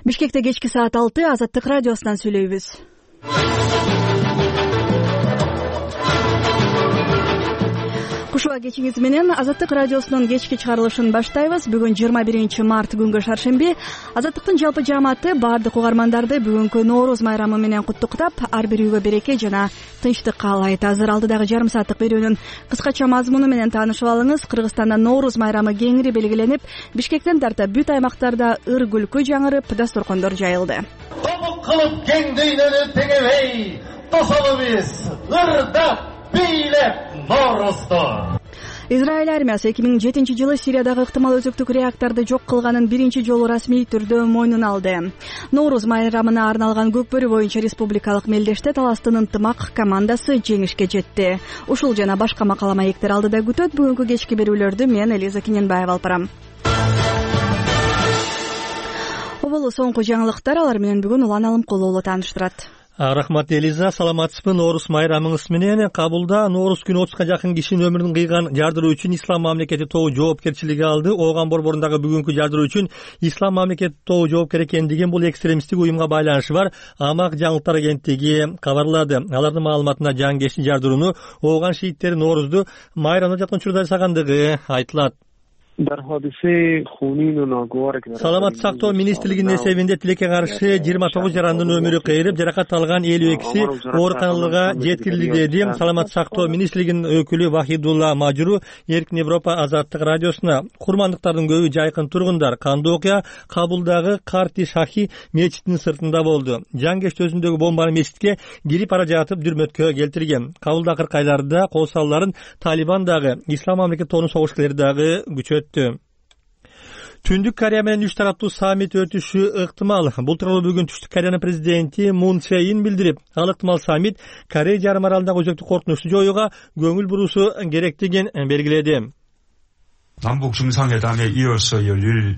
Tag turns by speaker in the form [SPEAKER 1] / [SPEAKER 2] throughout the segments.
[SPEAKER 1] Бишкекте кечки саат 6 Азаттык радиосунан сүйлөйбүз. Кушуа кечиңиз менен Азаттык радиосунун кечки чыгарылышын баштайбыз. Бүгүн 21 март күнгө шаршемби. Азаттыктын жалпы жааматы баардык угармандарды бүгүнкү Нооруз майрамы менен куттуктап, ар бир үйгө береке жана тынчтык каалайт. Азыр алдыдагы жарым сааттык берүүнүн кыскача мазмуну менен таанышып алыңыз. Кыргызстанда Нооруз майрамы кеңири белгиленип, Бишкектен тарта бүт аймактарда ыр күлкү жаңырып, дасторкондор жайылды.
[SPEAKER 2] Тобук кылып кең дүйнөнү теңебей, тосолубуз ырдап бийлеп Ноорузду.
[SPEAKER 1] Израиль армиясы 2007-жылы Сириядагы ыктымал өзөктүк реакторду жок кылганын биринчи жолу расмий түрдө мойнуна алды. Нооруз майрамына арналган көкбөрү боюнча республикалык мелдеште Таластын ынтымак командасы жеңишке жетти. Ушул жана башка макала маектер алдыда күтөт. Бүгүнкү кечки берүүлөрдү мен Элиза Кененбаева алып барам. Оболу соңку жаңылыктар, алар менен бүгүн Улан Алымкулуу тааныштырат.
[SPEAKER 3] Рахмат Элиза, саламатсызбы? Нооруз майрамыңыз менен Кабулда Нооруз күнү 30га жакын кишинин өмүрүн кыйган жардыруу үчүн Ислам мамлекети тобу жоопкерчилиги алды. Ооган борборундагы бүгүнкү жардыруу үчүн Ислам мамлекети тобу жоопкер экендигин бул экстремисттик уюмга байланышы бар Амак жаңылыктар агенттиги кабарлады. Алардын маалыматына жангешти жардырууну ооган шииттери Ноорузду майрамда жаткан учурда жасагандыгы айтылат. Саламат сактоо министрлигинин эсебинде тилекке каршы 29 жарандын өмүрү кыйрып, жаракат алган 52 ооруканаларга жеткирилди деди Саламат сактоо министрлигинин өкүлү Вахидулла Мажуру Эркин Европа Азаттык радиосуна. Курмандыктардын көбү жайкын тургундар. Кандуу окуя Кабулдагы Карти Шахи мечитинин сыртында болду. Жангеш өзүндөгү бомбаны мечитке кирип ара жатып дүрмөткө келтирген. Кабулда акыркы айларда кол салууларын Талибан дагы, Ислам мамлекети тобунун согушкерлери дагы күчөттү. Түндүк Корея менен 3 тараптуу саммит өтүшү ыктымал. Бул тууралуу бүгүн Түштүк Кореянын президенти Мун Чжэ Ин билдирип, ал ыктымал саммит Корея жарым аралындагы өзөктүк коркунучту жоюуга көңүл буруусу керектигин белгиледи.
[SPEAKER 4] 남북 정상회담에 이어서 열릴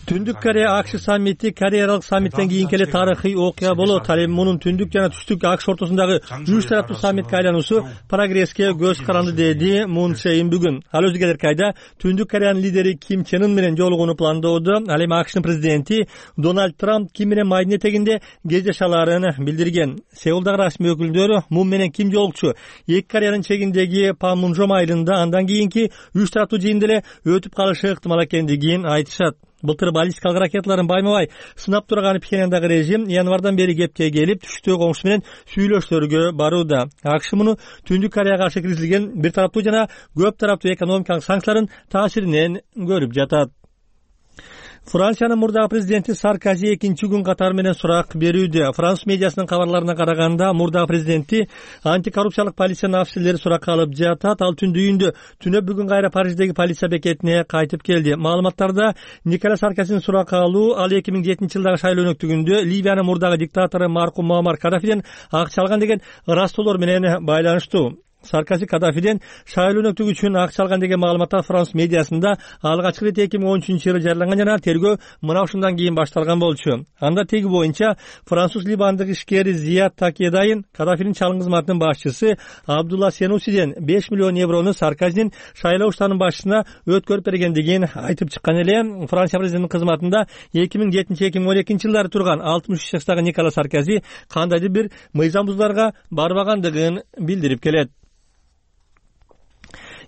[SPEAKER 3] Түндүк Корея АКШ саммити Корея аралык саммиттен кийинки эле тарыхый окуя болот. Ал эми мунун түндүк жана түштүк АКШ ортосундагы 3 тараптуу саммитке айлануусу прогресске көз каранды деди Мун Чжэ Ин бүгүн. Ал өзү келерки айда Түндүк Кореянын лидери Ким Чен Ын менен жолугууну пландоодо. Ал эми АКШнын президенти Дональд Трамп Ким менен майдын этегинде кездеше аларын билдирген. Сеулдагы расмий өкүлдөр Мун менен Ким жолукчу. Эки Кореянын чегиндеги Панмунжом айылында андан кийинки 3 тараптуу жыйында эле өтүп калышы ыктымал экендигин айтышат. Былтыр баллистикалык ракеталарын байма-бай сынап турган Пхеньяндагы режим январдан бери кепке келип, түштөгү коңшу менен сүйлөшүүлөргө барууда. АКШ муну Түндүк Кореяга каршы киргизилген бир тараптуу жана көп тараптуу экономикалык санкциялардын таасиринен көрүп жатат. Франциянын мурдагы президенти Саркози экинчи күн катары менен сурак берүүдө. Француз медиасынын кабарларына караганда, мурдагы президенти антикоррупциялык полициянын офицерлери суракка алып жатат. Ал түндүгүндө түнөп бүгүн кайра Париждеги полиция бекетине кайтып келди. Маалыматтарда Никола Саркозинин суракка алуу ал 2007-жылдагы шайлоо өнөктүгүндө Ливиянын мурдагы диктатору маркум Муаммар Кадафиден акча алган деген ырастоолор менен байланыштуу. Саркози Кадафиден шайлоо өнөктүгү үчүн акча алган деген маалыматтар француз медиасында алгачкы ирет 2013-жылы жарыяланган жана тергөө мына ушундан кийин башталган болчу. Анда теги боюнча француз либандык ишкер Зият Такедайын Кадафинин чалым кызматынын башчысы Абдулла Сенусиден 5 миллион еврону Саркозинин шайлоо штабынын башчысына өткөрүп бергендигин айтып чыккан эле. Франция президентинин кызматында 2007-2012 жылдары турган 63 жаштагы Никола Саркози кандайдыр бир мыйзам бузууларга барбагандыгын билдирип келет.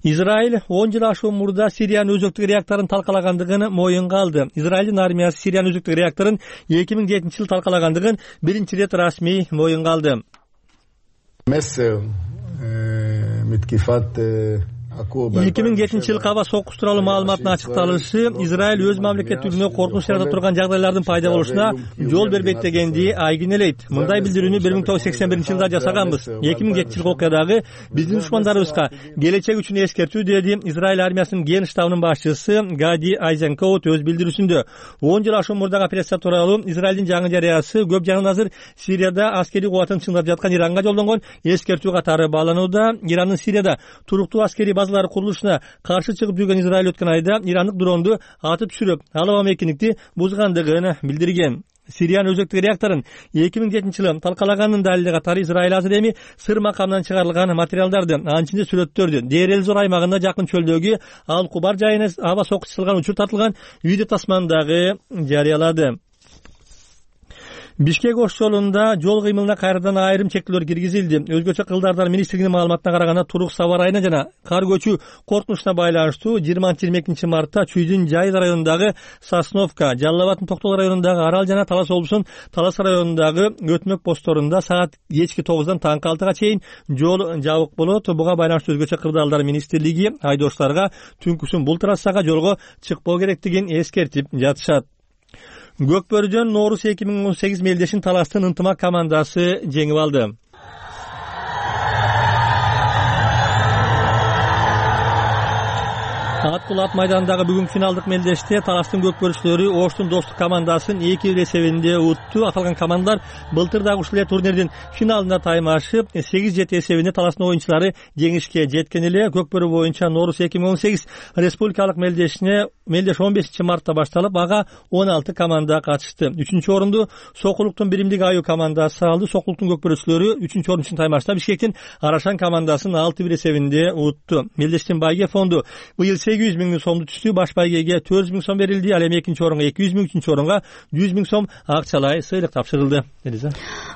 [SPEAKER 3] Израиль 10 жыл ашуун мурда Сириянын өзөктүк реакторун талкалагандыгын моюнга алды. Израилдин армиясы Сириянын өзөктүк реакторун 2007-жылы талкалагандыгын биринчи ирет расмий моюнга алды. 2007-жылкы аба сокус тууралуу маалыматтын ачыкталышы Израиль өз мамлекеттүүлүгүнө коркунуч жарата турган жагдайлардын пайда болушуна жол бербейт дегенди айгинелейт. Мындай билдирүүнү 1981-жылда жасаганбыз. 2007-жылкы окуядагы биздин душмандарыбызга келечек үчүн эскертүү деди Израиль армиясынын ген штабынын башчысы Гади Айзенкоут өз билдирүүсүндө. 10 жыл ашуун мурдагы операция тууралуу Израилдин жаңы жарыясы көп жагынан азыр Сирияда аскерий кубатын чыңдап жаткан Иранга жолдонгон эскертүү катары бааланууда. Ирандын Сирияда туруктуу аскерий базалары курулушуна каршы чыгып жүргөн Израиль өткөн айда ирандык дронду атып түшүрүп, алабам эркиндикти бузгандыгын билдирген. Сириянын өзөктүк реакторун 2007-жылы талкалаганын далили катары Израиль азыр эми сыр макамынан чыгарылган материалдарды, анын ичинде сүрөттөрдү Дейр Зор аймагында жакын чөлдөгү Ал Кубар жайына аба сокус чылган учур тартылган видео тасманы дагы жарыялады. Бишкек Ош жолунда жол кыймылына кайрадан айрым чектөөлөр киргизилди. Өзгөчө кылдардар министрлигинин маалыматына караганда турук сабар айына жана кар көчүү коркунучуна байланыштуу 20-22 мартта Чүйдүн Жайыл районундагы Сосновка, Жалал Абаддын Токтол районундагы Арал жана Талас облусунун Талас районундагы өтмөк постторунда саат кечки 9-дан таңкы 6-га чейин жол жабык болот. Буга байланыштуу өзгөчө кырдаалдар министрлиги айдоочуларга түнкүсүн бул трассага жолго чыкпоо керектигин эскертип жатышат. Көкбөрүдөн Нооруз 2018 мелдешин Таластын ынтымак командасы жеңип алды. Ат майданындагы бүгүнкү финалдык мелдеште Таластын көкбөрүчүлөрү Оштун достук командасын 2-1 эсебинде утту. Аталган командалар былтыр дагы ушул турнирдин финалында таймашып 8-7 эсебинде Таластын оюнчулары жеңишке жеткен эле. Көкбөрү боюнча Нооруз 2018 республикалык мелдеш 15 мартта башталып, ага 16 команда катышты. 3-орунду Сокулуктун биримдик аю командасы алды. Сокулуктун көкбөрүчүлөрү 3-орун үчүн таймашта Бишкектин Арашан командасын 6-1 эсебинде утту. Мелдештин байге фонду быйыл 800 миң сомду түштү. Баш байгеге 400 миң сом берилди. Ал эми экинчи орунга 200 миң, үчүнчү орунга 100 миң сом акчалай сыйлык тапшырылды.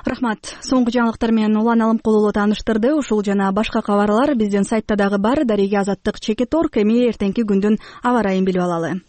[SPEAKER 1] Рахмат. Соңку жаңылыктар менен Улан Алымкулуу тааныштырды. Ушул жана башка кабарлар биздин сайтта дагы бар. Дареге Азаттык Чекит.org. Эми эртеңки күндүн аба ырайын билип алалы.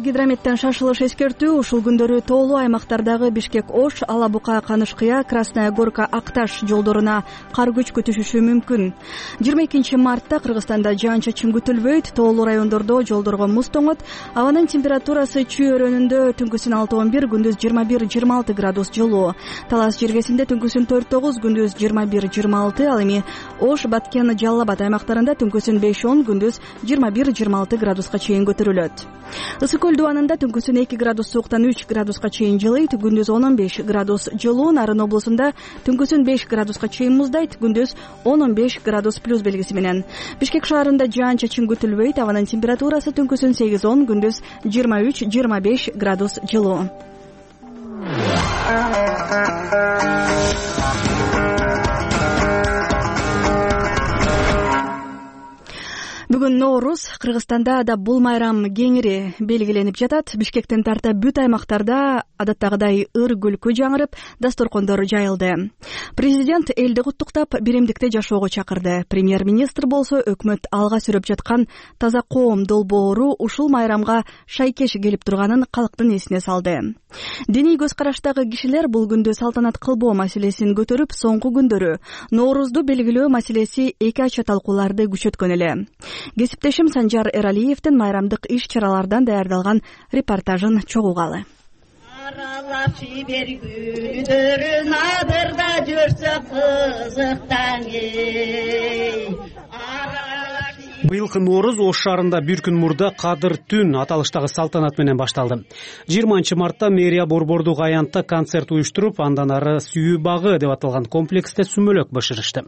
[SPEAKER 1] Гидрометтен шашылыш эскертүү. Ушул күндөрү тоолуу аймактардагы Бишкек Ош, Ала Бука, Канышкыя, Красная Горка, Акташ жолдоруна кар көчкү түшүшү мүмкүн. 22 мартта Кыргызстанда жаан-чачын күтүлбөйт. Тоолуу райондордо жолдорго муз тоңот. Абанын температурасы Чүй өрөөнүндө түнкүсүн 6-11, күндүз 21-26 градус жылуу. Талас жергесинде түнкүсүн 4-9, күндүз 21-26. Ал эми Ош, Баткен, Жалал Абад аймактарында түнкүсүн 5-10, күндүз 21-26 градуска чейин көтөрүлөт. Ысык-Көл дубанында түнкүсүн 2 градус сууктан 3 градуска чейин жылыйт, күндүз 10-15 градус жылуу. Нарын облусунда түнкүсүн 5 градуска чейин муздайт, күндүз 10-15 градус плюс белгиси менен. Бишкек шаарында жаан-чачын күтүлбөйт, абанын температурасы түнкүсүн 8-10, күндүз 23-25 градус жылуу. Бүгүн Нооруз. Кыргызстанда да бул майрам кеңири белгиленип жатат. Бишкектен тарта бүт аймактарда адаттагыдай ыр күлкү жаңырып, дасторкондор жайылды. Президент элди куттуктап, биримдикте жашоого чакырды. Премьер-министр болсо өкмөт алга сүрүп жаткан таза коом долбоору ушул майрамга шайкеш келип турганын калктын эсине салды. Диний көз караштагы кишилер бул күндү салтанат кылбоо маселесин көтөрүп, соңку күндөрү Ноорузду белгилөө маселеси эки ача талкууларды күчөткөн эле. Кесиптешим Санжар Эралиевдин майрамдык иш-чаралардан даярдалган репортажын чогугалы. Аралап жибергүлдөрүн адырда жүрсө кызыктан
[SPEAKER 5] Быйылкы Нооруз Ош шаарында бир күн мурда Кадыр түн аталыштагы салтанат менен башталды. 20 мартта мэрия борбордук аянтта концерт уюштуруп, андан ары Сүйүү багы деп аталган комплексте сүмөлөк бышырышты.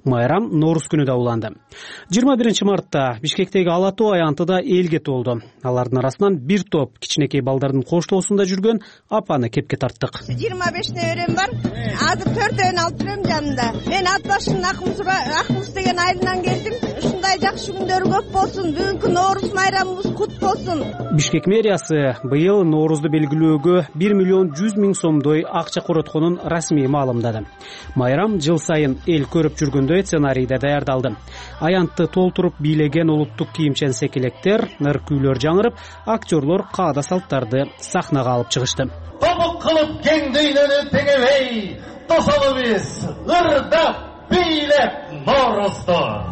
[SPEAKER 5] Майрам Нооруз күнү да уланды. 21 мартта Бишкектеги Ала Тоо аянтыда элге толду. Алардын арасынан бир топ кичинекей балдардын коштоосунда жүргөн апаны кепке тарттык.
[SPEAKER 6] 25 неберем бар. Азыр 4-өн алып жүрөм жанында. Мен ат башын Акмус деген айылынан келдим. Ушундай жакшы күндөр көп болсун. Бүгүнкү Нооруз майрамыбыз кут болсун. Бишкек
[SPEAKER 5] мэриясы быйыл Ноорузду белгилөөгө 1 миллион 100 миң сомдой акча коротконун расмий маалымдады. Майрам жыл сайын эл көрүп жүргөндөй сценарийде даярдалды. Аянтты толтуруп бийлеген улуттук кийимчен секелектер, ыр күйлөр жаңырып, актерлор каада салттарды сахнага алып чыгышты.
[SPEAKER 2] Тобук кылып кең дүйнөнү теңебей, тосолубуз ырдап бийлеп Ноорузду.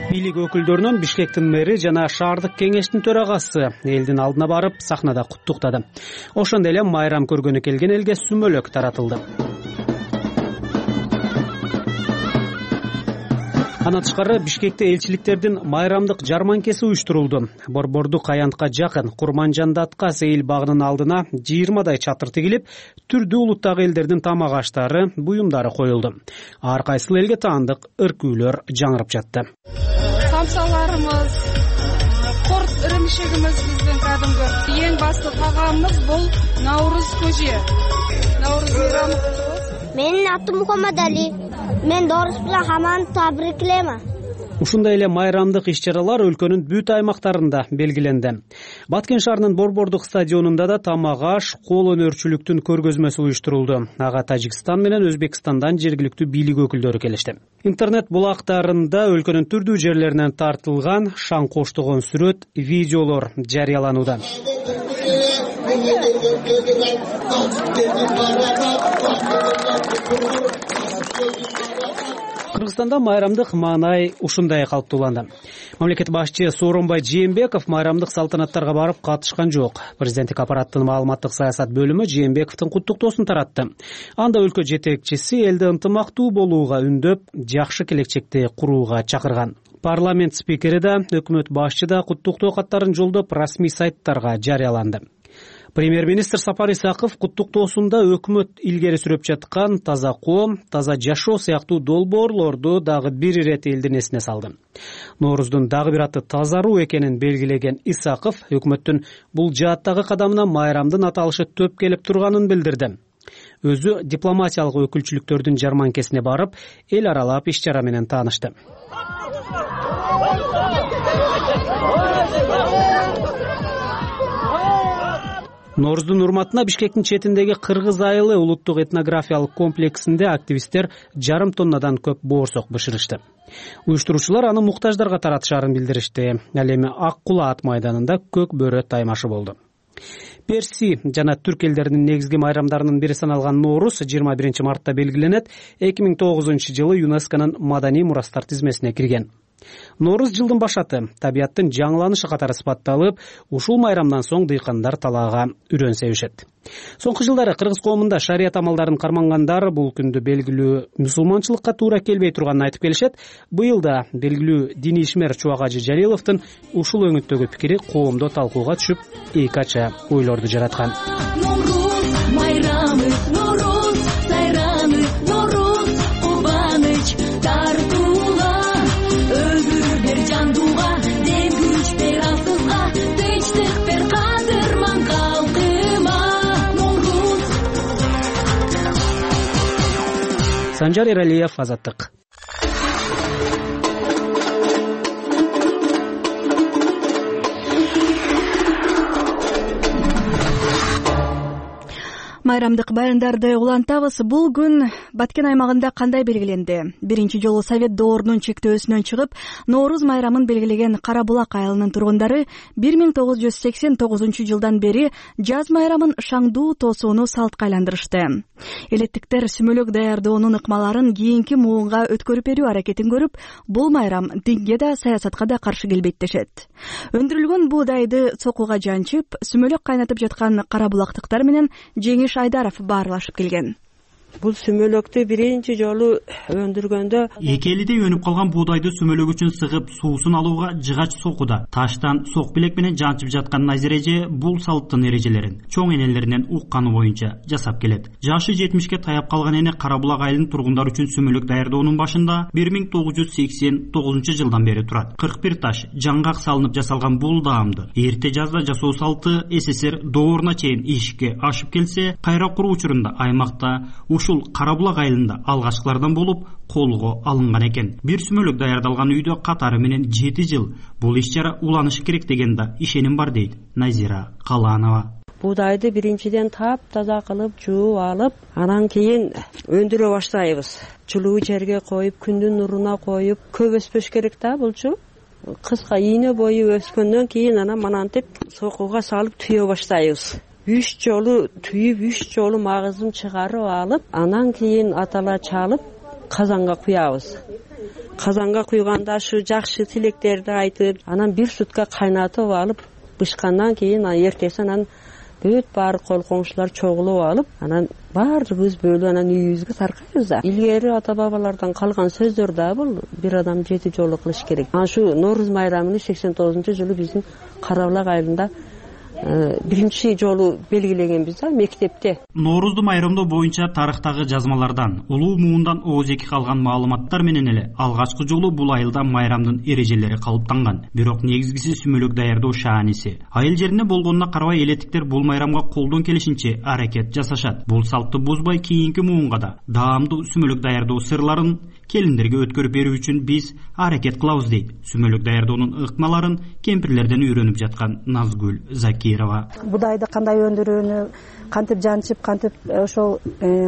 [SPEAKER 5] Бийлик өкүлдөрүнөн Бишкектин мэри жана шаардык кеңештин төрагасы элдин алдына барып сахнада куттуктады. Ошондой эле майрам көргөнү келген элге сүмөлөк таратылды. Андан тышкары Бишкекте элчиликтердин майрамдык жарманкеси уюштурулду. Борбордук аянтка жакын Курманжандатка Сейил багынын алдына 20дай чатыр тигилип, түрдүү улуттагы элдердин тамак аштары, буюмдары коюлду. Ар кайсыл элге таандык ыр күйлөр жаңырып жатты.
[SPEAKER 7] Самсаларымыз, корт ырымшыгыбыз биздин кадимги эң басты тагамыбыз бул Наурыз көже. Наурыз майрамы
[SPEAKER 8] Менин атым Мухаммадали. Мен Доорус менен хамманы табриклейм.
[SPEAKER 5] Ушундай эле майрамдык иш-чаралар өлкөнүн бүт аймактарында белгиленди. Баткен шаарынын Борбордук стадионунда да тамак аш, кол өнөрчүлүктүн көргөзмөсү уюштурулду. Ага Тажикстан менен Өзбекстандан жергиликтүү бийлик өкүлдөрү келишти. Интернет булактарында өлкөнүн түрдүү жерлеринен тартылган шаң коштогон сүрөт, видеолор жарыяланууда. Кыргызстанда майрамдык маанай ушундай калыптууланды. Мамлекет башчы Сооронбай Жээнбеков майрамдык салтанаттарга барып катышкан жок. Президенттик аппараттын маалыматтык саясат бөлүмү Жээнбековдун куттуктоосун таратты. Анда өлкө жетекчиси элди ынтымактуу болууга үндөп, жакшы келечекти курууга чакырган. Парламент спикери да, өкмөт башчы да куттуктоо каттарын жолдоп, расмий сайттарга жарыяланды. Премьер-министр Сапар Исаков куттуктоосунда өкмөт илгери сүрөп жаткан таза коом, таза жашоо сыяктуу долбоорлорду дагы бир ирет элдин эсине салды. Норуздун дагы бир аты тазаруу экенин белгилеген Исаков өкмөттүн бул жааттагы кадамына майрамдын аталышы төп келип турганын билдирди. Өзү дипломатиялык өкүлчүлүктөрдүн жарманкесине барып, эл аралап иш-чара менен таанышты. Норуздун урматына Бишкектин четиндеги Кыргыз айылы улуттук этнографиялык комплексинде активисттер жарым тоннадан көп боорсок бышырышты. Уюштуруучулар аны муктаждарга таратышарын билдиришти. Ал эми Ак Кула ат майданында көк бөрө таймашы болду. Перси жана түрк элдеринин негизги майрамдарынын бири саналган Норуз 21 мартта белгиленет. 2009-жылы ЮНЕСКОнун маданий мурастар тизмесине кирген. Норуз жылдын башаты, табияттын жаңыланышы катары сыпатталып, ушул майрамдан соң дыйкандар талаага үрөн себишет. Соңку жылдары кыргыз коомунда шарият амалдарын кармангандар бул күндү белгилүү мусулманчылыкка туура келбей турганын айтып келишет. Быйыл да белгилүү диний ишмер Чубак Ажы Жалиловдун ушул өңүттөгү пикири коомдо талкууга түшүп, эки ача ойлорду жараткан. Санжар Эралиев, Азаттык.
[SPEAKER 1] Майрамдык баяндарды улантабыз. Бул күн Баткен аймагында кандай белгиленди? Биринчи жолу Совет доорунун чектөөсүнөн чыгып, Норуз майрамын белгилеген Кара Булак айылынын тургундары 1989 жылдан бери жаз майрамын шаңдуу тосууну салтка айландырышты. Элеттиктер сүмөлөк даярдоонун ыкмаларын кийинки муунга өткөрүп берүү аракетин көрүп, бул майрам динге да саясатка да каршы келбейт дешет. Өндүрүлгөн буудайды цокуга жанчып, сүмөлөк кайнатып жаткан кара булактыктар менен Жеңиш Айдаров баарлашып келген.
[SPEAKER 9] Бул сүмөлөктү биринчи жолу өндүргөндө
[SPEAKER 10] эки элидей өнүп калган буудайды сүмөлөк үчүн сыгып суусун алууга жыгач сокуда таштан сок билек менен жанчып жаткан Назира эже бул салттын эрежелерин чоң энелеринен укканы боюнча жасап келет. Жашы 70ке таяп калган эне Кара Булак айылынын тургундары үчүн сүмөлөк даярдоонун башында 1989 жылдан бери турат. 41 таш жаңгак салынып жасалган бул даамды эрте жазда жасоо салты СССР дооруна чейин ишке ашып келсе, кайра куруу учурунда аймакта ушул Кара Булак айылында алгачкылардан болуп колго алынган экен. Бир сүмөлөк даярдалган үйдө катары менен 7 жыл бул иш-чара уланышы керек деген да ишеним бар дейт Назира Каланова.
[SPEAKER 9] Буудайды биринчиден таза кылып, жууп алып, анан кийин өндүрө баштайбыз. Жылуу жерге коюп, күндүн нуруна коюп, көп өспөш керек да булчу. Кыска ийне бою өскөндөн кийин анан манантип сокуга салып түйө баштайбыз. 3 жолу түйүп, 3 жолу магызын чыгарып алып, анан кийин атала чалып казанга куябыз. Казанга куйганда ушу жакшы тилектерди айтып, анан 1 сутка кайнатып алып, бышкандан кийин эртеси анан бүт баары кол коңшулар чогулуп алып, анан баардыгыбыз бөлүп анан үйүбүзгө таркайбыз да. Илгери ата бабалардан калган сөздөр да бул бир адам 7 жолу кылыш керек. Ана шу Норуз майрамын 89-жылы биздин Кара Булак айылында биринчи жолу белгилегенбиз да мектепте.
[SPEAKER 10] Ноорузду майрамдоо боюнча тарыхтагы жазмалардан, улуу муундан оозеки калган маалыматтар менен эле алгачкы жолу бул айылда майрамдын эрежелери калыптанган. Бирок негизгиси сүмөлөк даярдоо шааниси. Айыл жеринде болгонуна карабай элеттиктер бул майрамга колдон келишинче аракет жасашат. Бул салтты бузбай кийинки муунга да даамдуу сүмөлөк даярдоо сырларын келиндерге өткөрүп берүү үчүн биз аракет кылабыз дейт сүмөлөк даярдоонун ыкмаларын кемпирлерден үйрөнүп жаткан Назгүл Закирова.
[SPEAKER 11] Будайды кандай өндүрүүнү, кантип жанчып, кантип ошол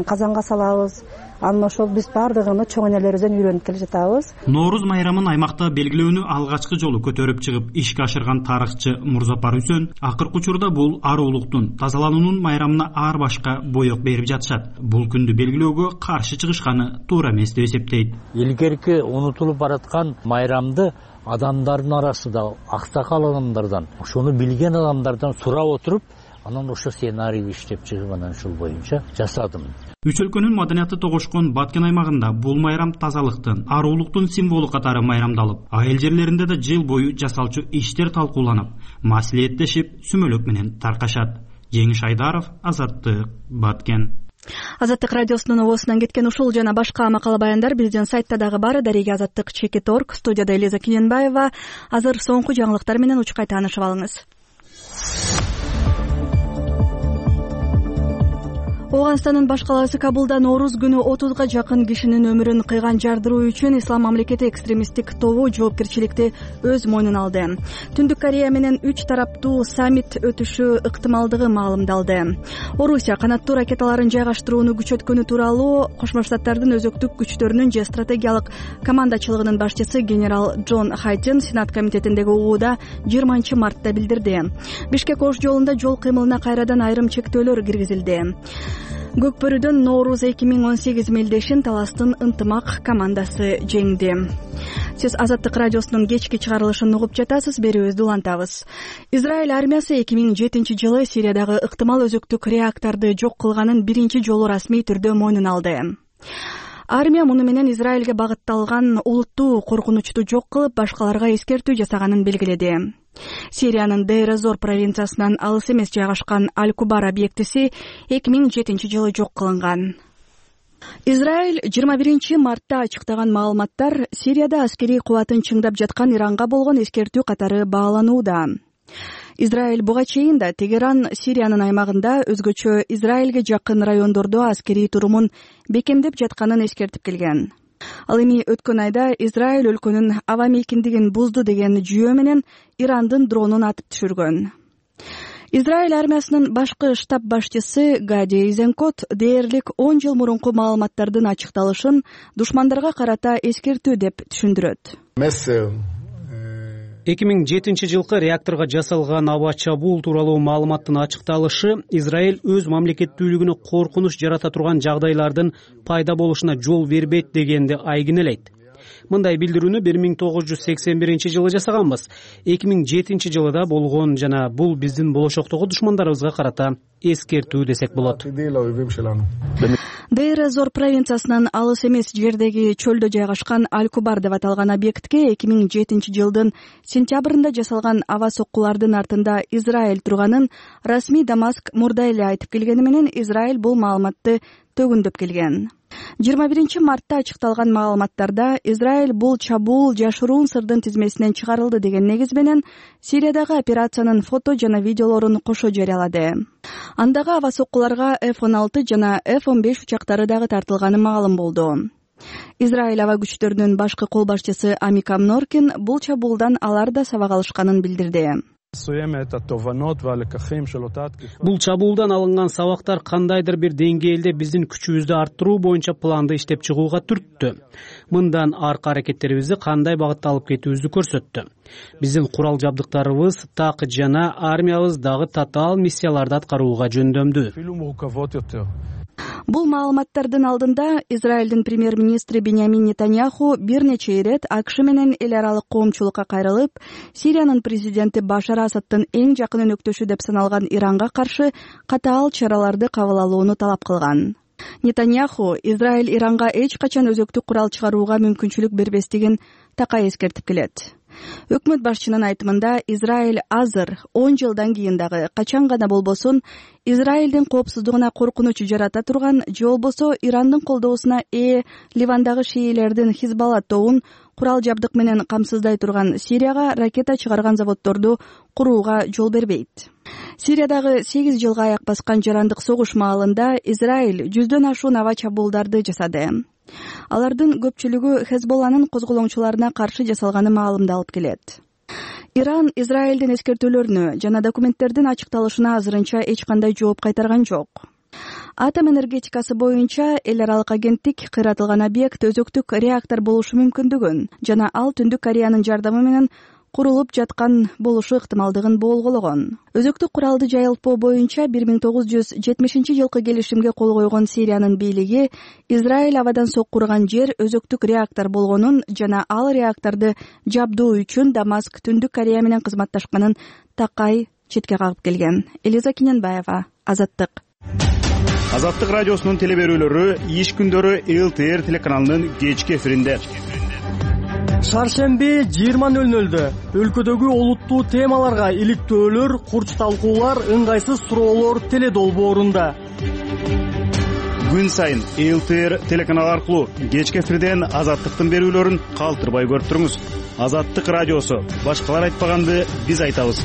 [SPEAKER 11] казанга салабыз, анан ошол биз баардыгын чоң энелерибизден үйрөнүп келе жатабыз.
[SPEAKER 10] Нооруз майрамын аймакта белгилөөнү алгачкы жолу көтөрүп чыгып ишке ашырган тарыхчы Мурзапар Үсөн акыркы учурда бул аруулуктун тазалануунун майрамына ар башка боек берип жатышат. Бул күндү белгилөөгө каршы чыгышканы туура эмес деп эсептейт.
[SPEAKER 12] Илгерки унутулуп бараткан майрамды адамдардын арасында аксакал адамдардан, ошону билген адамдардан сурап отуруп, анан ошо сценарийди иштеп чыгып анан ушул боюнча жасадым.
[SPEAKER 10] Үч өлкөнүн маданияты тогошкон Баткен аймагында бул майрам тазалыктын, аруулуктун символу катары майрамдалып, айыл жерлеринде да жыл бою жасалчу иштер талкууланып, маслихеттешип, сүмөлөк менен таркашат. Жеңиш Айдаров, Азаттык, Баткен.
[SPEAKER 1] Азаттык радиосунун оосунан кеткен ушул жана башка макала баяндар биздин сайтта дагы бар. Дареги Азаттык.org. Студияда Элиза Кененбаева. Азыр соңку жаңылыктар менен учкай таанышып алыңыз. Ооганстандын баш калаасы Кабулда Нооруз күнү 30га жакын кишинин өмүрүн кыйган жардыруу үчүн Ислам мамлекети экстремисттик тобу жоопкерчиликти өз мойнуна алды. Түндүк Корея менен 3 тараптуу саммит өтүшү ыктымалдыгы маалымдалды. Орусия канаттуу ракеталарын жайгаштырууну күчөткөнү тууралуу Кошмо Штаттардын өзөктүк күчтөрүнүн же стратегиялык командачылыгынын башчысы генерал Джон Хайтен Сенат комитетиндеги угууда 20 мартта билдирди. Бишкек-Ош жолунда жол кыймылына кайрадан айрым чектөөлөр киргизилди. Көкбөрүдөн Нооруз 2018 мелдешин таластын ынтымак командасы жеңди. Сиз Азаттык радиосунун кечки чыгарылышын угуп жатасыз, берүүбүздү улантабыз. Израиль армиясы 2007-жылы Сириядагы ыктымал өзөктүк реакторду жок кылганын биринчи жолу расмий түрдө мойнуна алды. Армия муну менен Израилге багытталган улуттуу коркунучту жок кылып, башкаларга эскертүү жасаганын белгиледи. Сириянын Дейр-эз-Зор провинциясынан алыс эмес жайгашкан Аль-Кубар объектиси 2007-жылы жок кылынган. Израиль 21 мартта ачыктаган маалыматтар Сирияда аскерий кубатын чыңдап жаткан Иранга болгон эскертүү катары бааланууда. Израиль буга чейин да Тегеран Сириянын аймагында өзгөчө Израилге жакын райондордо аскерий турумун бекемдеп жатканын эскертип келген. Ал эми өткөн айда Израиль өлкөнүн аба мейкиндигин бузду деген жүйө менен Ирандын дронун атып түшүргөн. Израиль армиясынын башкы штаб башчысы Гади Эйзенкот дээрлик 10 жыл мурунку маалыматтардын ачыкталышын душмандарга карата эскертүү деп түшүндүрөт.
[SPEAKER 5] 2007-жылкы реакторго жасалган аба чабуул тууралуу маалыматтын ачыкталышы Израиль өз мамлекеттүүлүгүнө коркунуч жарата турган жагдайлардын пайда болушуна жол бербейт дегенди айгинелейт. Мындай билдирүүнү 1981-жылы жасаганбыз. 2007 да болгон жана бул биздин болошоктогу душмандарыбызга карата эскертүү десек болот.
[SPEAKER 1] Дейр-эз-Зор провинциясынан алыс эмес жердеги чөлдө жайгашкан Аль-Кубар деп аталган объектке 2007-жылдын сентябрында жасалган аба соккулардын артында Израиль турганын расмий Дамаск мурда эле айтып келгени менен Израиль бул маалыматты төгүндөп келген. 21 мартта ачыкталган маалыматтарда Израиль бул чабуул жашыруун сырдын тизмесинен чыгарылды деген негиз менен Сириядагы операциянын фото жана видеолорун кошо жарыялады. Андагы аба соккуларга F-16 жана F-15 учактары дагы тартылганы маалым болду. Израиль аба күчтөрүнүн башкы кол башчысы Амикам Норкин бул чабуулдан алар да сабак алышканын билдирди.
[SPEAKER 5] Бул чабуулдан алынган сабактар кандайдыр бир деңгээлде биздин күчүбүздү арттыруу боюнча планды иштеп чыгууга түрттү. Мындан аркы аракеттерибизди кандай багытта алып кетүүбүздү көрсөттү. Биздин курал жабдыктарыбыз так жана армиябыз дагы татаал миссияларды аткарууга жөндөмдүү.
[SPEAKER 1] Бул маалыматтардын алдында Израилдин премьер-министри Беньямин Нетаньяху бир нече ирет АКШ менен эл аралык коомчулукка кайрылып, Сириянын президенти Башар Асадтын эң жакын өнөктөшү деп саналган Иранга каршы катаал чараларды кабыл алууну талап кылган. Нетаньяху Израиль Иранга эч качан өзөктүк курал чыгарууга мүмкүнчүлүк бербестигин такай эскертип келет. Өкмөт башчынын айтымында Израиль азыр 10 жылдан кийин дагы качан гана болбосун Израилдин коопсуздугуна коркунуч жарата турган же болбосо Ирандын колдоосуна Ливандагы шиилердин Хизбалла тобун курал жабдык менен камсыздай турган Сирияга ракета чыгарган заводдорду курууга жол бербейт. Сириядагы 8 жылга аяк баскан жарандык согуш маалында Израиль 100дөн ашуун аба чабуулдарды жасады. Алардын көпчүлүгү Хезболланын козголоңчуларына каршы жасалганы маалымдалып келет. Иран Израилдин эскертүүлөрүнө жана документтердин ачыкталышына азырынча эч кандай жооп кайтарган жок. Атом энергетикасы боюнча эл аралык агенттик кыйратылган объект өзөктүк реактор болушу мүмкүндүгүн жана ал Түндүк Кореянын жардамы менен курулуп жаткан болушу ыктымалдыгын болгоологон. Өзөктүк куралды жайылтпоо боюнча 1970-жылкы келишимге кол койгон Сириянын бийлиги Израиль абадан соккурган жер өзөктүк реактор болгонун жана ал реакторду жабдуу үчүн Дамаск Түндүк Корея менен кызматташканын такай четке кагып келген. Элиза Киненбаева, Азаттык.
[SPEAKER 13] Азаттык радиосунун телеберүүлөрү иш күндөрү ЛТР телеканалынын кечки эфиринде.
[SPEAKER 14] Шаршемби 20:00 өлкөдөгү олуттуу темаларга иликтөөлөр, курч талкуулар, ыңгайсыз суроолор теле долбоорунда.
[SPEAKER 13] Күн сайын ЛТР телеканалы аркылуу кечки эфирден Азаттыктын берүүлөрүн калтырбай көрүп туруңуз. Азаттык радиосу. Башкалар айтпаганды биз айтабыз.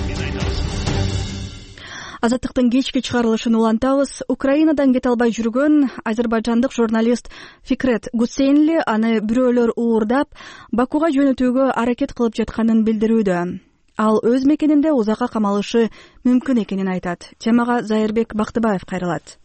[SPEAKER 1] Азаттыктын кечки чыгарылышын улантабыз. Украинадан кете албай жүргөн азербайжандык журналист Фикрет Гусейнли аны бирөөлөр уурдап, Бакуга жөнөтүүгө аракет кылып жатканын билдирүүдө. Ал өз мекенинде узакка камалышы мүмкүн экенин айтат. Темага Зайырбек Бактыбаев кайрылат.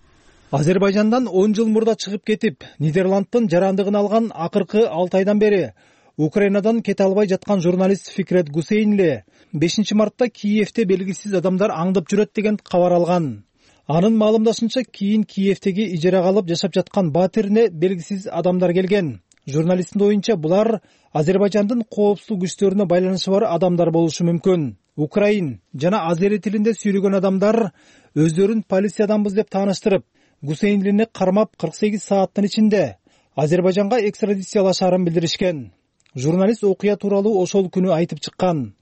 [SPEAKER 15] Азербайжандан 10 жыл мурда чыгып кетип, Нидерландтын жарандыгын алган акыркы 6 айдан бери Украинадан кете албай жаткан журналист Фикрет Гусейнли 5 мартта Киевте белгисиз адамдар аңдып жүрөт деген кабар алган. Анын маалымдашынча кийин Киевтеги ижарага алып жашап жаткан батирине белгисиз адамдар келген. Журналисттин оюнча булар Азербайжандын коопсуздук күчтөрүнө байланышы бар адамдар болушу мүмкүн. Украин жана азери тилинде сүйлөгөн адамдар өздөрүн полициядамбыз деп тааныштырып, Гусейнлини кармап 48 сааттын ичинде Азербайжанга экстрадициялашаарын билдиришкен. Журналист окуя тууралуу ошол күнү айтып чыккан.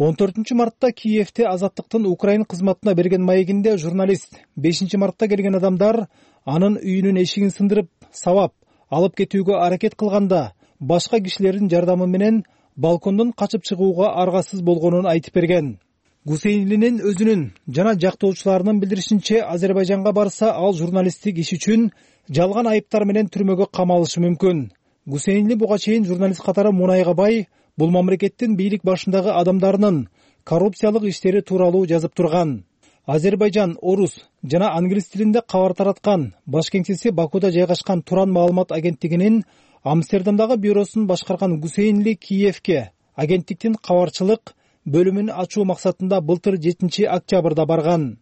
[SPEAKER 15] 14 мартта Киевте Азаттыктын Украин кызматына берген маегинде журналист 5 мартта келген адамдар анын үйүнүн эшигин сындырып, сабап, алып кетүүгө аракет кылганда башка кишилердин жардамы менен балкондон качып чыгууга аргасыз болгонун айтып берген. Гусейнлинин өзүнүн жана жактоочуларынын билдиришинче Азербайжанга барса, ал журналисттик иш үчүн жалган айыптар менен түрмөгө камалышы мүмкүн. Гусейнли буга чейин журналист катары мунайга бай, бул мамлекеттин бийлик башындагы адамдарынын коррупциялык иштери тууралуу жазып турган. Азербайжан орус жана англис тилинде кабар тараткан баш кеңсеси Бакуда жайгашкан Туран маалымат агенттигинин Амстердамдагы бюросун башкарган Гусейнли Киевке агенттиктин кабарчылык бөлүмүн ачуу максатында былтыр 7 октябрда барган.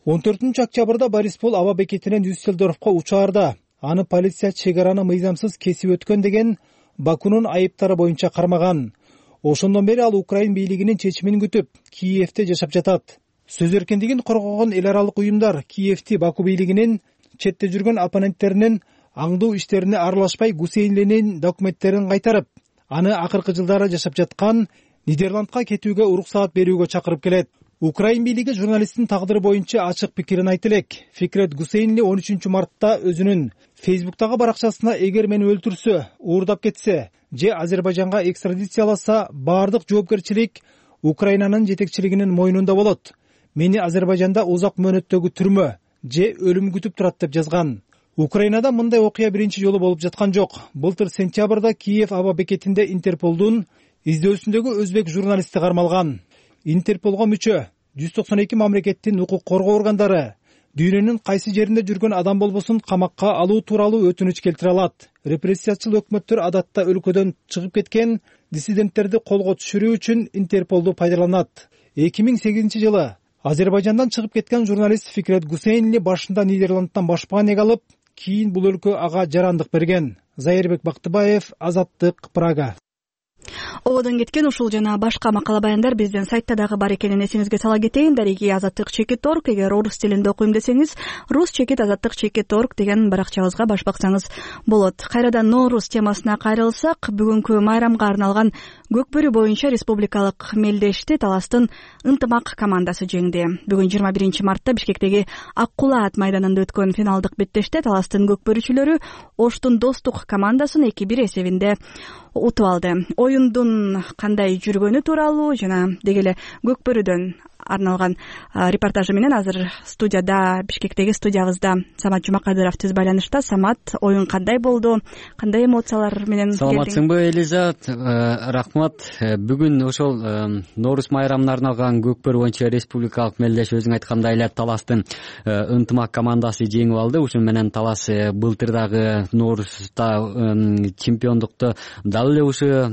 [SPEAKER 15] 14 октябрда Бориспол аба бекетинен Дюссельдорфко учаарда аны полиция чек араны мыйзамсыз кесип өткөн деген Бакунун айыптары боюнча кармаган. Ошондон бери ал Украин бийлигинин чечимин күтүп, Киевте жашап жатат. Сөз эркиндигин коргогон эл аралык уюмдар Киевти Баку бийлигинин четте жүргөн оппоненттеринин аңдуу иштерине аралашпай Гусейнлинин документтерин кайтарып, аны акыркы жылдары жашап жаткан Нидерландка кетүүгө уруксаат берүүгө чакырып келет. Украин бийлиги журналисттин тагдыры боюнча ачык пикирин айтты элек. Фикрет Гусейнли 13 мартта өзүнүн Фейсбуктагы баракчасына эгер мени өлтүрсө, уурдап кетсе, же Азербайжанга экстрадицияласа, баардык жоопкерчилик Украинанын жетекчилигинин мойнунда болот. Мени Азербайжанда узак мөөнөттөгү түрмө же өлүм күтүп турат деп жазган. Украинада мындай окуя биринчи жолу болуп жаткан жок. Былтыр сентябрда Киев аба бекетинде Интерполдун издөөсүндөгү өзбек журналисти кармалган. Интерполго мүчө 192 мамлекеттин укук коргоо органдары дүйнөнүн кайсы жеринде жүргөн адам болбосун камакка алуу тууралуу өтүнүч келтире алат. Репрессиячыл өкмөттөр адатта өлкөдөн чыгып кеткен диссиденттерди колго түшүрүү үчүн Интерполду пайдаланат. 2008 жылы Азербайжандан чыгып кеткен журналист Фикрет Гусейнли башында Нидерландтан башпаан алып, кийин бул өлкө ага жарандык берген. Зайырбек Бактыбаев, Азаттык, Прага.
[SPEAKER 1] Ободон кеткен ушул жана башка макала баяндар биздин сайтта дагы бар экенин эсиңизге сала кетейин. Дареги azattik.org. Эгер орус тилинде окуйм десеңиз rus-azattik.org деген баракчабызга баш баксаңыз болот. Кайрадан Ноорус темасына кайрылсак, бүгүнкү майрамга арналган Көкбөрү боюнча республикалык мелдешти Таластын ынтымак командасы жеңди. Бүгүн 21 мартта Бишкектеги Ак Кула ат майданында өткөн финалдык беттеште Таластын Көкбөрүчүлөрү Оштун Достук командасын 2-1 эсебинде утуп алды. Оюндун кандай жүргөнү тууралуу жана деги эле Көкбөрүдөн арналган репортажы менен азыр студияда, Бишкектеги студиябызда Самат Жумакадыров түз байланышта. Самат, оюн кандай болду? Кандай эмоциялар менен келдиң?
[SPEAKER 16] Саламатсыңбы, Элизат? Рахмат. Бүгүн ошол Ноорус майрамына арналган Көкбөрү боюнча республикалык мелдеш өзүң айткандай эле Таластын ынтымак командасы жеңип алды. Ушун менен Талас былтырдагы Норуста чемпиондукту дал эле ушу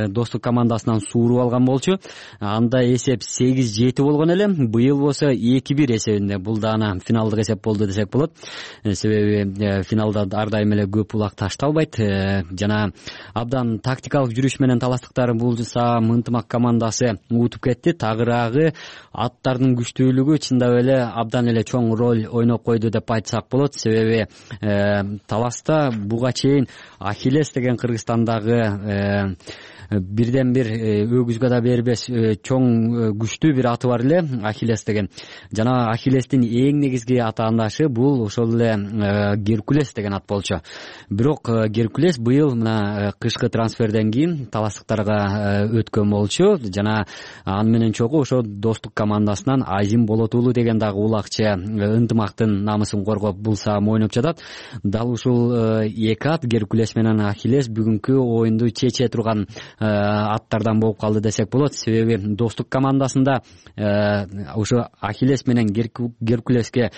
[SPEAKER 16] Достук командасынан сууруп алган болчу. Анда эсеп 8-7 болгон эле. Быйыл болсо 2-1 эсебинде. Бул дагы финалдык эсеп болду десек болот. Себеби финалда ар дайым эле көп улак ташталбайт. Жана абдан тактикалык жүрүш менен таластыктар булса ынтымак командасы утуп кетти. Тагыраагы аттардын күчтүүлүгү чындап эле абдан эле чоң роль ойноп койду деп айтсак болот. Себеби Таласта буга чейин Ахиллес деген Кыргызстандагы бирден бир өгүзгө да бербес чоң күчтүү бир аты бар эле, Ахиллес деген. Жана Ахиллестин эң негизги атаандашы бул ошол эле Геркулес деген ат болчу. Бирок Геркулес быйыл мына кышкы трансферден кийин таластыктарга өткөн болчу. Жана аны менен чогуу ошо Достук командасынан Азим Болотуулу деген дагы улакчы ынтымактын намысын коргоп булса ойноп жатат. Дал ушул эки ат, Геркулес менен Ахиллес, бүгүнкү оюнду чече турган аттардан болуп калды десек болот. Себеби Достук командасында ошо Ахиллес менен Геркулеске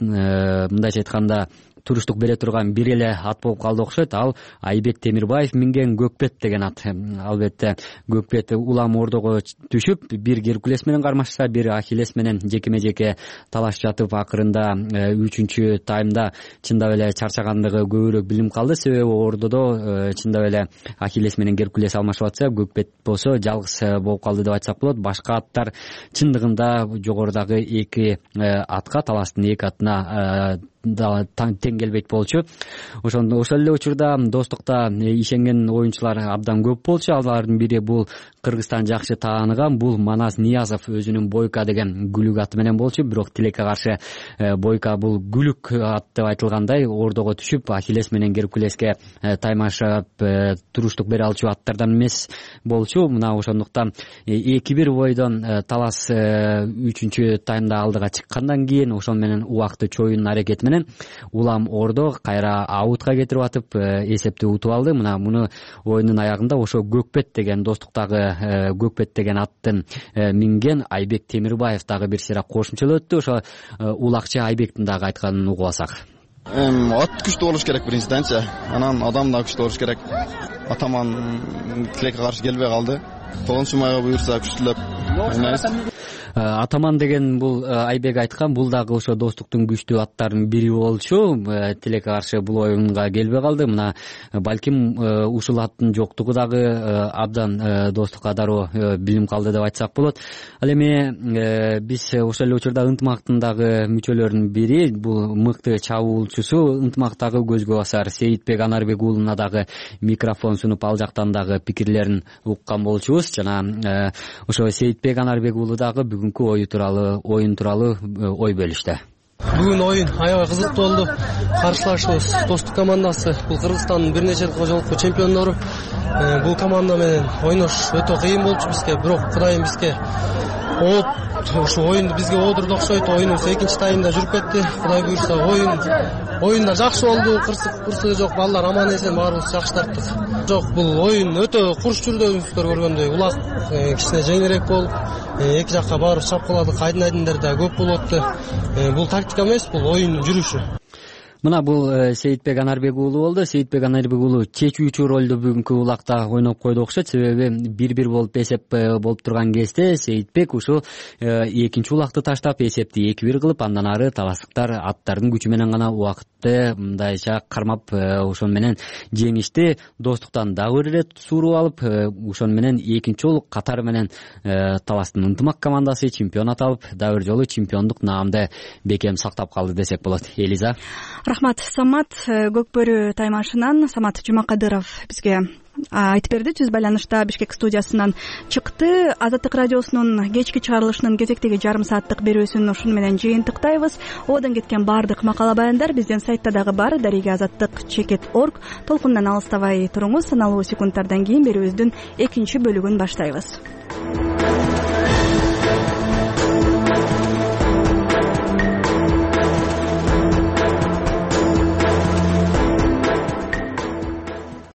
[SPEAKER 16] мындайча айтканда туруштук бере турган бир эле ат болуп калды окшойт. Ал Айбек Темирбаев минген Көкбет деген ат. Албетте Көкбет улам ордого түшүп, бир Геркулес менен кармашса, бир Ахиллес менен жекеме-жеке талашып жатып, акырында 3-чү таймда чындап эле чарчагандыгы көбүрөөк билинип калды. Себеби ордодо чындап эле Ахиллес менен Геркулес алмашып атса, Көкбет болсо жалгыз болуп калды деп айтсак болот. Башка аттар чындыгында жогорудагы эки атка, Таластын эки атына тең келбейт болчу. Ошол эле учурда Достукта ишенген оюнчулар абдан көп болчу. Алардын бири бул Кыргызстан жакшы тааныган бул Манас Ниязов өзүнүн Бойка деген гүлүк аты менен болчу. Бирок тилекке каршы Бойка бул гүлүк ат деп айтылгандай ордого түшүп, Ахиллес менен Геркулеске таймашып туруштук бере алчу аттардан эмес болчу. Мына ошондуктан 2-1 бойдон Талас 3-чү таймда алдыга чыккандан кийин ошол менен убакты чоюнун аракети менен улам ордо кайра аутка кетирип атып эсепти утуп алды. Мына муну оюндун аягында ошо Көкбет деген Достуктагы Көкбет деген аттын минген Айбек Темирбаев дагы бир сыйра кошумчалап өттү. Ошо улакчы Айбектин дагы айтканын угуп алсак.
[SPEAKER 17] Ат күчтүү болуш керек биринчиденчи. Анан адам да күчтүү болуш керек. Атаман тилекке каршы келбей калды. 9-майга буюрса күчтүүлөп ойнайбыз.
[SPEAKER 16] Атаман деген бул Айбек айткан, бул дагы ошо Достуктун күчтүү аттарынын бири болчу. Тилекке каршы бул оюнга келбей калды. Мына балким ушул аттын жоктугу дагы абдан Достукка дароо билинип калды деп айтсак болот. Ал эми биз ошол эле учурда ынтымактын дагы мүчөлөрүнүн бири, бул мыкты чабуулчусу, ынтымактагы көзгө басар Сейитбек Анарбек уулуна дагы микрофон сунуп ал жактан дагы пикирлерин уккан болчубуз. Жана ошо Сейитбек Анарбек уулу дагы бүгүнкү оюн тууралуу ой бөлүштү.
[SPEAKER 18] Бүгүн оюн аябай кызыктуу болду. Каршылашыбыз Достук командасы, бул Кыргызстандын бир нече жолку чемпиондору. Бул команда менен ойнош өтө кыйын болчу бизге, бирок Кудайым бизге ушу оюнду бизге оодурду окшойт. Оюнубуз 2-чи таймда жүрүп кетти. Кудай буйрса оюнда жакшы болду. Кырсыгы жок, балдар аман эсен, баарыбыз жакшы тарттык. Жок, бул оюн өтө курч жүрдү, өзүңүздөр көргөндөй. Улак кичине жеңилирээк болуп, эки жакка баарыбыз чапкыладык. Айдын да көп болуп атты. Бул тактика эмес, бул оюндун жүрүшү.
[SPEAKER 16] мына бул Сейитбек Анарбек уулу болду. Сейитбек Анарбек уулу чечүүчү ролду бүгүнкү улакта ойноп койду окшойт. Себеби 1-1 болуп эсеп болуп турган кезде Сейитбек ушул экинчи улакты таштап эсепти 2-1 кылып, андан ары таластыктар аттардын күчү менен гана убакытты мындайча кармап ошон менен жеңишти. Достуктан дагы бир ирет сууруп алып, ошон менен экинчи жолу катары менен таластын ынтымак командасы чемпионат алып, дагы бир жолу чемпиондук наамды бекем сактап калды десек болот. Элиза.
[SPEAKER 1] Рахмат, Самат. Көкбөрү таймашынан Самат Жумакадыров бизге айтып берди. Түз байланышта Бишкек студиясынан чыкты. Азаттык радиосунун кечки чыгарылышынын кезектеги жарым сааттык берүүсүн ушуну менен жыйынтыктайбыз. Ободон кеткен баардык макала баяндар биздин сайтта дагы бар. darigazаттык.org. Толкундан алыстабай туруңуз. Саналуу секундтардан кийин берүүбүздүн экинчи бөлүгүн баштайбыз.